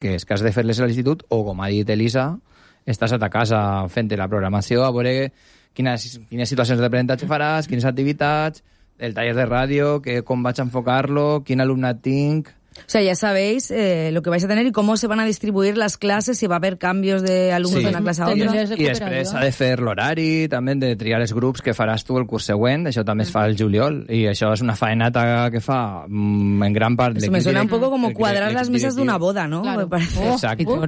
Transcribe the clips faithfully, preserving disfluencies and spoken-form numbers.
que és que has de fer-les a l'institut o, com ha dit Elisa, estàs a ta casa fent la programació, a veure quines, quines situacions d'aprenentatge faràs, quines activitats, el taller de ràdio, que, com vaig a enfocar-lo, quin alumnat tinc... O sea, ya sabéis eh, lo que vais a tener y cómo se van a distribuir las clases, si va a haber cambios de alumnos sí. de una clase a otra. I després s'ha de fer l'horari, també de triar els grups que faràs tu el curs següent, això també es fa el juliol, i això és una faenata que fa mm, en gran part... Eso me suena un poco como cuadrar las mesas de una boda, ¿no? Claro. Oh, exacto.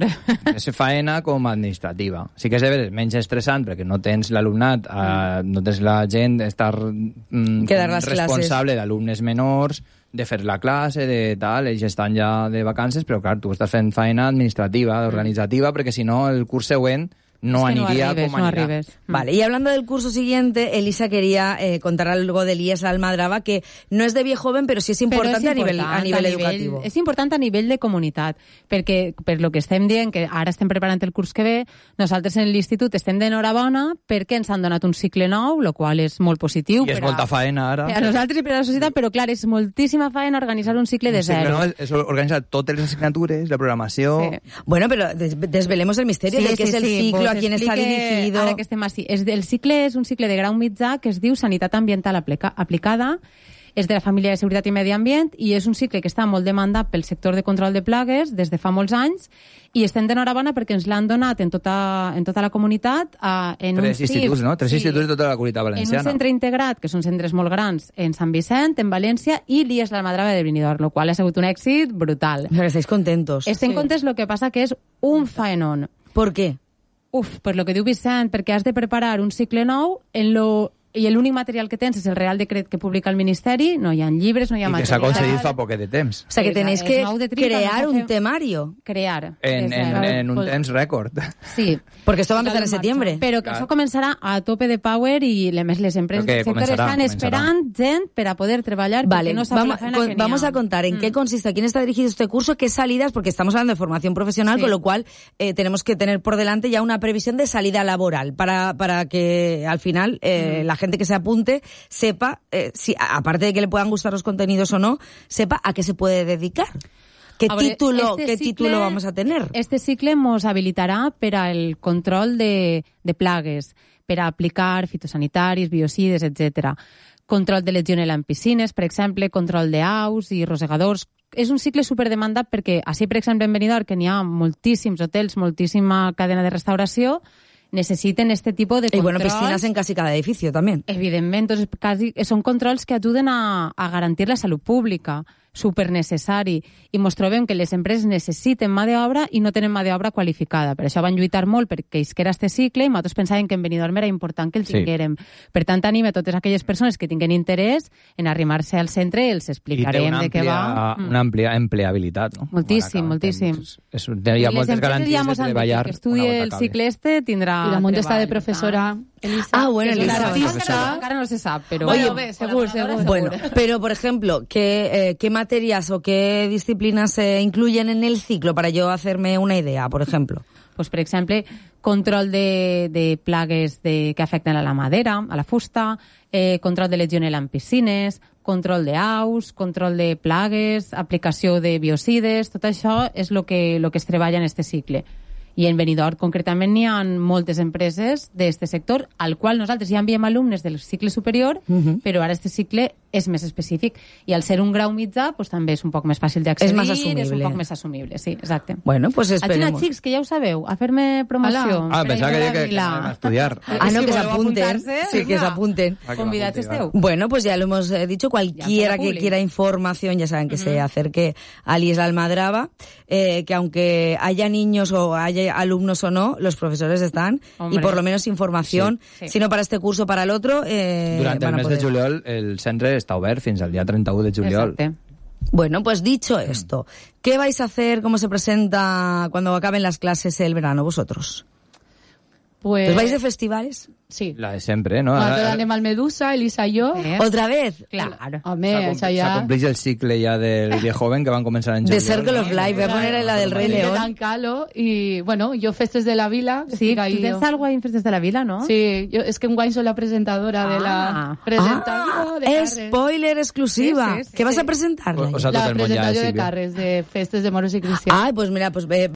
És faena com administrativa. Sí que és de veres menys estressant, perquè no tens l'alumnat, eh, no tens la gent, estar mm, responsable d'alumnes menors, de fer la classe, de tal, ells estan ja de vacances, però clar, tu estàs fent feina administrativa, organizativa, perquè si no el curs següent no es que aniria no arribes, como no anirà. arribes. Vale, y hablando del curso siguiente, Elisa quería eh, contar algo de l'I E S Almadrava, que no es de viejo joven, pero sí es importante, és a nivell, important a nivell a educatiu. És important a nivell de comunitat, perquè per lo que estem dient, que ara estem preparant el curs que ve, nosaltres en l'institut estem d'enhorabona perquè ens han donat un cicle nou, el qual és molt positiu. I és per a, molta faena ara. Per a nosaltres i per a la societat, però clar, és moltíssima faena organitzar un cicle de Un cicle zero. nou és organitzar totes les assignatures, la programació... Sí. Bueno, pero des desvelemos el misterio Sí, de qué sí, es el sí, ciclo, pues a quién está explique, dirigido... Ara que estem així. És, el cicle és un cicle de grau mitjà que es diu Sanitat Ambiental aplica, Aplicada, és de la família de Seguretat i Medi Ambient i és un cicle que està molt demandat pel sector de control de plagues des de fa molts anys i estem d'enhorabona perquè ens l'han donat en tota, en tota la comunitat uh, en Tres un instituts, C I F, no? Tres sí, instituts de tota la comunitat valenciana. En un centre integrat, que són centres molt grans, en Sant Vicent, en València, i l'I E S Almadrava de Benidorm, el qual ha sigut un èxit brutal. Pero estáis contentos. Estem Sí. contents, el que passa que és un faenón. ¿Por qué? Uf, per lo que diu Vicent, perquè has de preparar un cicle nou en lo... i l'únic material que tens és el Real Decret que publica el Ministeri, no hi ha llibres, no hi ha I que material. s'ha aconseguit fa poquet de temps. O sea, que Sí, tenéis es que nou de tripa, crear no se un hace- temario. Crear. En, Des en, de- en un temps rècord. Sí. Porque esto va a empezar en Posar-lo septiembre. marxa. Però que Clar. això començarà a tope de power i, a més, les empreses Però del que sector començarà, estan començarà. esperant gent per a poder treballar Vale, perquè no saben vamos, la feina con- que n'hi vamos ha. a contar en Mm. qué consiste, a quién está dirigido este curso, qué salidas, porque estamos hablando de formación profesional, Sí. con lo cual eh, tenemos que tener por delante ya una previsión de salida laboral para, para que al final eh, Mm. la gente que se apunte sepa, eh, si a- aparte de que le puedan gustar los contenidos o no, sepa a qué se puede dedicar. ¿Qué A veure, título, este qué cicle- título vamos a tener? Este cicle nos habilitarà per al control de, de plagues, per a aplicar fitosanitaris, biocides, etcètera. Control de legionel·la en piscines, per exemple, control d'aus i rosegadors. És un cicle superdemandat perquè, així, per exemple, en Benidorm, que n'hi ha moltíssims hotels, moltíssima cadena de restauració, necessiten este tipus de Y controls. bueno, piscinas en casi cada edificio también. Evidentment, doncs, quasi, són controls que ajuden a, a garantir la salut pública, super necessari, i mos trobem que les empreses necessiten mà d'obra i no tenen mà d'obra qualificada. Per això van lluitar molt perquè isquera este cicle i nosaltres pensàvem que en Benidorm era important que el Sí. tinguérem. Per tant, anime a totes aquelles persones que tinguen interès en arrimar-se al centre i els I té explicarem una de què àmplia, va. Mm. una àmplia empleabilitat, no? Moltíssim, Bueno, moltíssim. És, és, hi ha I les moltes empreses garanties ja mos de han dit treballar que estudi una volta el acabi. cicle este tindrà I damunt està de treball, professora Elisa. Ah, bueno, que és Elisa. una Encara, artista. encara no se sap, però... Oye, Bueno, bé, segur, segur. Bueno, pero por ejemplo, ¿qué, eh, qué materias o qué disciplinas se incluyen en el ciclo para yo hacerme una idea, por ejemplo? Pues, per exemple, control de, de plagues de, que afecten a la madera, a la fusta, eh, control de legionel·la en piscines, control d'aus, control de plagues, aplicació de biocides, tot això és el que, lo que es treballa en este cicle. I en Benidorm, concretament, n'hi ha moltes empreses d'aquest sector, al qual nosaltres ja enviem alumnes del cicle superior, Uh-huh. però ara este cicle és més específic. I al ser un grau mitjà, pues, també és un poc més fàcil d'accedir. És més És un assumible. poc més assumible, sí, exacte. Bueno, pues Així, esperemos. xics, que ja ho sabeu, a fer-me promoció. Ah, pensava que deia que, que Vila. anem a estudiar. Ah, no, Si que se voleu apunten. apuntar-se, Sí, que venga. se apunten. Ah, que Convidats m'apunti, esteu. Bueno, pues ya lo hemos eh, dicho, cualquiera Ya, que público. quiera información, ya saben que se acerque al I E S Almadrava, eh, que aunque haya niños o haya alumnos o no, los profesores están, Hombre. y por lo menos información, Sí, sí. si no para este curso, para el otro, eh, Durant el van a mes poder. de juliol el centre està obert fins al dia trenta-u de juliol. Exacte. Bueno, pues dicho esto, ¿qué vais a hacer, cómo se presenta cuando acaben las clases el verano vosotros? Pues... ¿Os vais de festivales? Sí. La de sempre, no? Nosaltres anem al Medusa, Elisa i jo. Eh? ¿Otra vez? Claro. Home, això ja... S'acomplix el cicle ja del Viejoven que van començar en The juliol. Circle of Life, voy a poner la del Rey León. Tan calo, i, bueno, jo Festes de la Vila. Sí, tu tens algo ahí en Festes de la Vila, no? Sí, jo, és que enguany soy la presentadora ah. de la presentació ah, de Carres. Spoiler exclusiva. Sí, sí, sí, ¿Qué vas sí. a presentar? O, o sea, la tot el món ja, presentació de Sílvia. Carres, de Festes de Moros i Cristians. Ah, pues mira, pues ve,